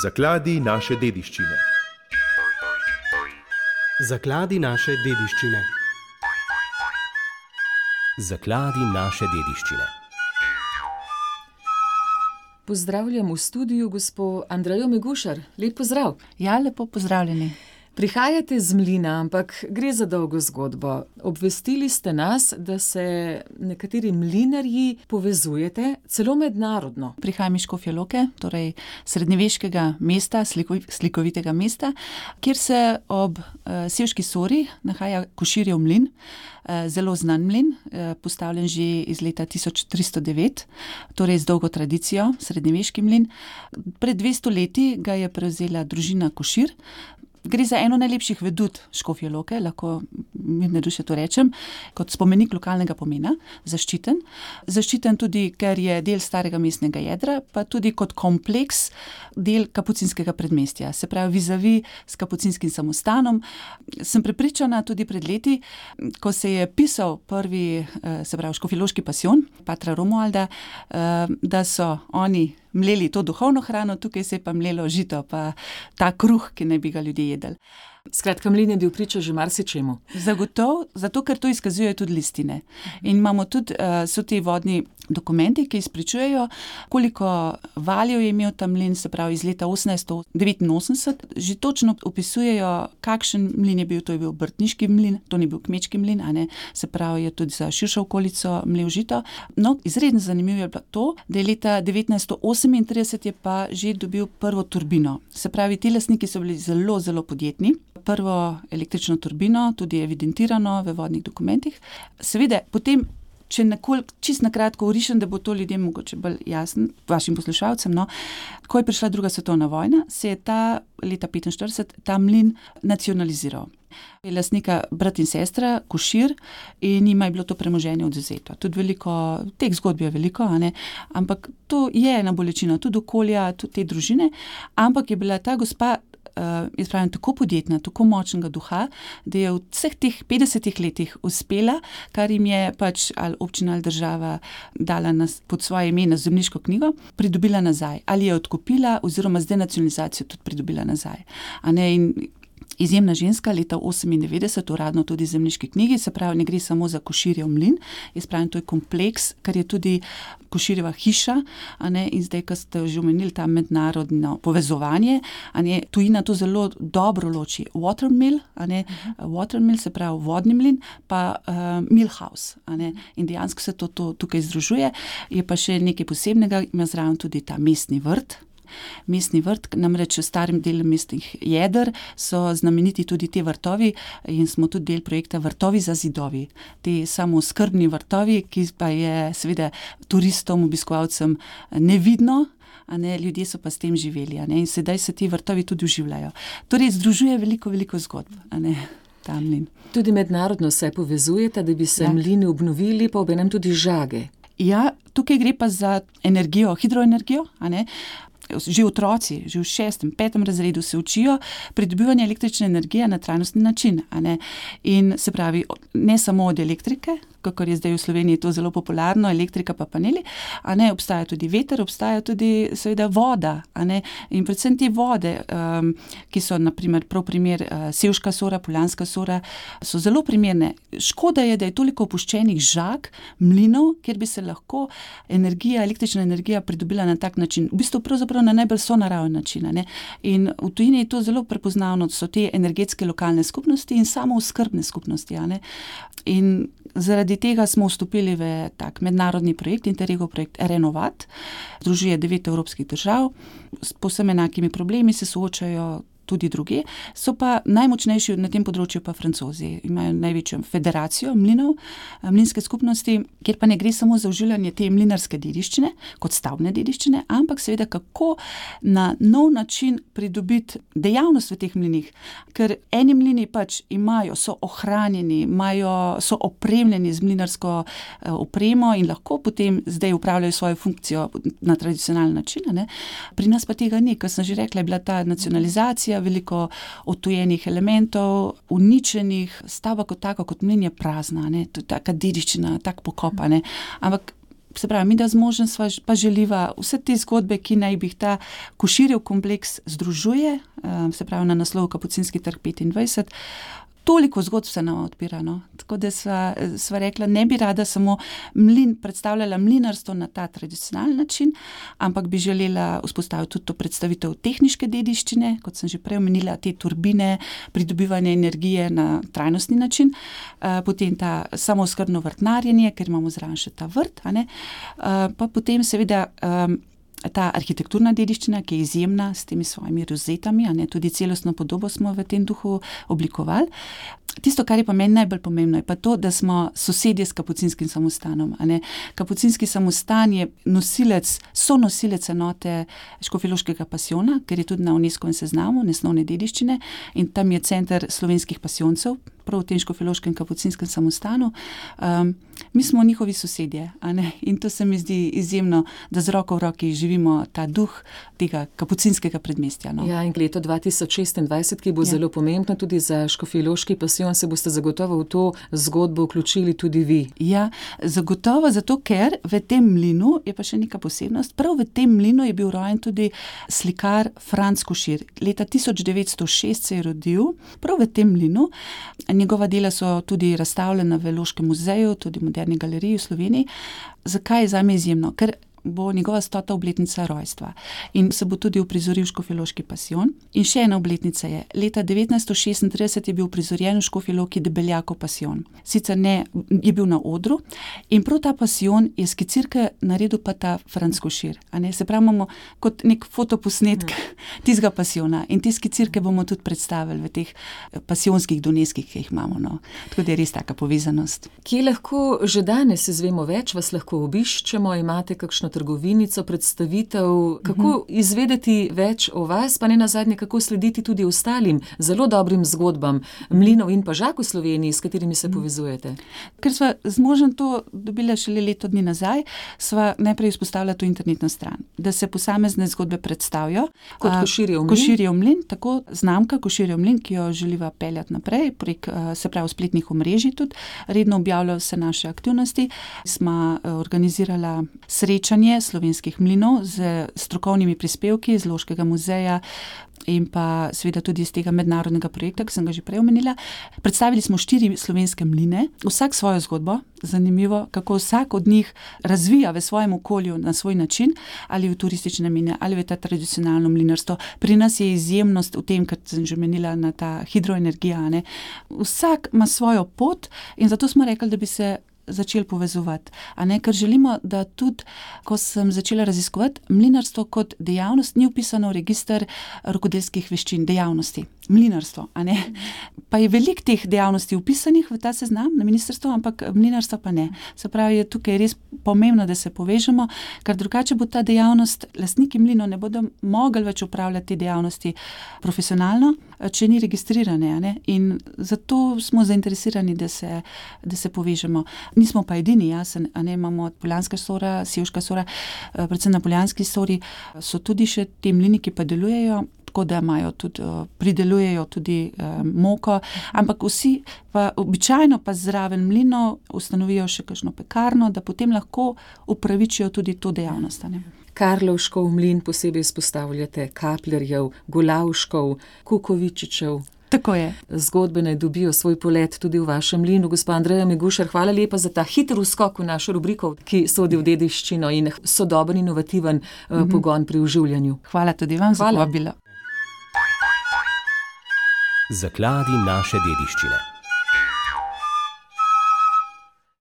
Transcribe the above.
Zakladi naše dediščine. Zakladi naše dediščine. Zakladi naše dediščine. Pozdravljam v studiu gospo Andrejo Megušar. Lep pozdrav. Ja, lepo pozdravljeni. Prihajate z Mlina, ampak gre za dolgo zgodbo. Obvestili ste nas, da se nekateri mlinarji povezujete celo mednarodno. Prihajam iz Škofje Loke, torej srednjeveškega mesta, slikovitega mesta, kjer se ob Sevški Sori nahaja Koširjev mlin, zelo znan mlin, postavljen že iz leta 1309, torej z dolgo tradicijo, srednjeveški mlin. Pred 200 leti ga je prevzela družina Košir. Gre za eno najlepših vedut Škofje Loke, lahko mirne duše to rečem, kot spomenik lokalnega pomena, zaščiten. Zaščiten tudi, ker je del starega mestnega jedra, pa tudi kot kompleks del kapucinskega predmestja. Se pravi, vizavi s kapucinskim samostanom. Sem prepričana tudi pred leti, ko se je pisal prvi, se pravi, škofjeloški pasijon, patra Romualda, da so oni mleli to duhovno hrano, tukaj se je pa mlelo žito, pa ta kruh, ki naj bi ga ljudje jedli. Skratka, mlin je bil priča že marsičemu. Zagotovo, zato ker to izkazujejo tudi listine. In imamo tudi, so ti vodni dokumenti, ki izpričujejo, koliko valjev je imel ta mlin, se pravi iz leta 1889, že točno opisujejo, kakšen mlin je bil, to je bil obrtniški mlin, to ni bil kmečki mlin, a ne, se pravi, je tudi za širšo okolico mlel žito. No, izredno zanimivo je bilo to, da je leta 1938 je pa že dobil prvo turbino. Se pravi, ti lastniki so bili zelo, zelo podjetni. Prvo električno turbino, tudi evidentirano v vodnih dokumentih. Seveda, potem, če čisto na kratko orišem, da bo to ljudem mogoče bolj jasno, vašim poslušalcem, no, ko je prišla druga svetovna vojna, se je leta 1945 ta mlin nacionaliziral. Je lastnika brat in sestra, Košir, in njima je bilo to premoženje odvzeto. Tudi veliko, teh zgodb je veliko, a ne? Ampak to je ena bolečina, tudi okolja, tudi te družine, ampak je bila ta gospa, jaz pravim, tako podjetna, tako močnega duha, da je v vseh teh 50 letih uspela, kar jim je pač ali občina ali država dala pod svoje ime na zemljiško knjigo, pridobila nazaj. Ali je odkupila oziroma z denacionalizacijo tudi pridobila nazaj. A ne, in izjemna ženska, leta 1998, uradno tudi v zemljiški knjigi, se pravi, ne gre samo za Koširjev mlin, jaz pravim, to je kompleks, kar je tudi Koširjeva hiša, a ne, in zdaj, ko ste že omenili ta mednarodno povezovanje, a ne, tujina to zelo dobro loči. Watermill, a ne, watermill, se pravi vodni mlin, pa millhouse, a ne, in dejansko se to tukaj združuje. Je pa še nekaj posebnega, ima zraven tudi ta mestni vrt. Mestni vrt, namreč v starem delu mestnih jeder so znameniti tudi te vrtovi in smo tudi del projekta Vrtovi za zidovi. Te samooskrbni vrtovi, ki pa je seveda turistom, obiskovalcem nevidno, a ne, ljudje so pa s tem živeli, a ne, in sedaj se ti vrtovi tudi oživljajo. Torej, združuje veliko, veliko zgodb, a ne, ta mlin. Tudi mednarodno se povezujete, da bi se mlini obnovili, pa obenem tudi žage. Ja, tukaj gre pa za energijo, hidroenergijo, a ne. Že otroci, že v 6., 5. razredu se učijo pridobivanje električne energije na trajnostni način, a ne. In se pravi, ne samo od elektrike, kakor je zdaj v Sloveniji to zelo popularno, elektrika pa paneli, a ne, obstaja tudi veter, obstaja tudi seveda voda, a ne, in predvsem te vode, ki so naprimer prav primer Sevška Sora, Poljanska Sora, so zelo primerne. Škoda je, da je toliko opuščenih žag, mlinov, kjer bi se lahko električna energija pridobila na tak način, v bistvu pravzaprav na najbolj sonaraven način, a ne. In v tujini je to zelo prepoznavno, so te energetske lokalne skupnosti in samooskrbne skupnosti, a ne. In zaradi tega smo vstopili v tak mednarodni projekt, Interregov projekt Renovat, združuje 9 evropskih držav, s povsem enakimi problemi se soočajo tudi druge, so pa najmočnejši na tem področju pa Francozi. Imajo največjo federacijo mlinov, mlinske skupnosti, kjer pa ne gre samo za oživljanje te mlinarske dediščine, kot stavbne dediščine, ampak seveda kako na nov način pridobiti dejavnost v teh mlinih. Ker eni mlini pač so ohranjeni, so opremljeni z mlinarsko opremo in lahko potem zdaj upravljajo svojo funkcijo na tradicionalen način, ne. Pri nas pa tega ni, kot sem že rekla, je bila ta nacionalizacija, veliko odtujenih elementov, uničenih, stavba kot tako, kot mlin je prazna, ne, to je taka dediščina, tak pokop, ne. Ampak Se pravi, mi da z možem sva pa želiva vse te zgodbe, ki naj bi jih ta Koširjev kompleks združuje, se pravi na naslovu Kapucinski trg 25, toliko zgodb se nam odpira, no. Tako da sva rekla, ne bi rada samo predstavljala mlinarstvo na ta tradicionalni način, ampak bi želela vzpostaviti tudi to predstavitev tehniške dediščine, kot sem že prej omenila, te turbine, pridobivanje energije na trajnostni način, potem ta samooskrbno vrtnarjenje, ker imamo zraven še ta vrt, a ne, pa potem seveda ta arhitekturna dediščina, ki je izjemna s temi svojimi rozetami, a ne, tudi celostno podobo smo v tem duhu oblikovali. Tisto, kar je pa meni najbolj pomembno, je pa to, da smo sosedje s Kapucinskim samostanom, a ne. Kapucinski samostan je sonosilec enote Škofjeloškega pasijona, ker je tudi na UNESCO seznamu nesnovne dediščine in tam je center slovenskih pasijoncev, prav v tem Škofjeloškem Kapucinskem samostanu. Mi smo njihovi sosedje, a ne, in to se mi zdi izjemno, da z roko v roki živimo ta duh tega kapucinskega predmestja, no. Ja, in leto 2026, ki bo zelo pomembno tudi za Škofjeloški pasijon, se boste zagotovo v to zgodbo vključili tudi vi. Ja, zagotovo, zato ker v tem mlinu je pa še neka posebnost. Prav v tem mlinu je bil rojen tudi slikar Franc Košir. Leta 1906 se je rodil, prav v tem mlinu. Njegova dela so tudi razstavljena v Loškem muzeju, tudi v Moderni galeriji v Sloveniji. Zakaj je zame izjemno? Ker bo njegova 100. obletnica rojstva in se bo tudi uprizoril Škofjeloški pasijon. In še ena obletnica je, leta 1936 je bil uprizorjen v Škofji Loki Debeljakov pasijon. Sicer ne, je bil na odru in prav ta pasijon je skicirke naredil pa ta Franc Košir, a ne, se pravi, imamo kot nek fotoposnetek tistega pasijona in te skicirke bomo tudi predstavili v teh pasijonskih doneskih, ki jih imamo, no. Tako da je res taka povezanost. Kje lahko že danes izvemo več, vas lahko obiščemo, imate kakšno trgovinico, predstavitev, kako izvedeti več o vas, pa ne nazadnje, kako slediti tudi ostalim zelo dobrim zgodbam mlinov in pa žak v Sloveniji, s katerimi se povezujete. Ker sva z možem to dobila šele leto dni nazaj, sva najprej vzpostavila to internetno stran, da se posamezne zgodbe predstavijo. Kot Koširjev mlin? Koširjev mlin, tako znamka Koširjev mlin, ki jo želiva peljati naprej, prek, se pravi, spletnih omrežij tudi, redno objavljajo vse naše aktivnosti. Sva organizirala srečanje slovenskih mlinov z strokovnimi prispevki iz Loškega muzeja in pa seveda tudi iz tega mednarodnega projekta, ki sem ga že prej omenila. Predstavili smo 4 slovenske mline, vsak svojo zgodbo, zanimivo, kako vsak od njih razvija v svojem okolju na svoj način, ali v turistične mline, ali v ta tradicionalno mlinarstvo. Pri nas je izjemnost v tem, kar sem že omenila, na ta hidroenergija, ne. Vsak ima svojo pot in zato smo rekli, da bi se začeli povezovati, a ne, ker želimo, da tudi, ko sem začela raziskovati, mlinarstvo kot dejavnost ni vpisano v register rokodelskih veščin, dejavnosti. Mlinarstvo, a ne. Pa je veliko teh dejavnosti vpisanih v ta seznam na ministrstvo, ampak mlinarstva pa ne. Se pravi, je tukaj res pomembno, da se povežemo, ker drugače bo ta dejavnost, lastniki mlinov ne bodo mogli več upravljati te dejavnosti profesionalno, če ni registrirane, a ne. In zato smo zainteresirani, da se povežemo. Nismo pa edini, jasen, a ne, imamo Poljanska sora, Sevška sora, predvsem na Poljanski sori so tudi še te mlini, ki pa delujejo, tako da imajo tudi, pridelujejo tudi moko, ampak vsi pa običajno pa zraven mlinov ustanovijo še kakšno pekarno, da potem lahko upravičijo tudi to dejavnost, a ne. Karlovškov mlin posebej izpostavljate, Kaplerjev, Golavškov, Kukovičičev. Tako je. Zgodbe naj dobijo svoj polet tudi v vašem mlinu. Gospa Andreja Megušar, hvala lepa za ta hiter vskok v našo rubriko, ki sodi v dediščino in sodoben, inovativen pogon pri oživljanju. Hvala tudi vam za povabilo. Zakladi naše dediščine.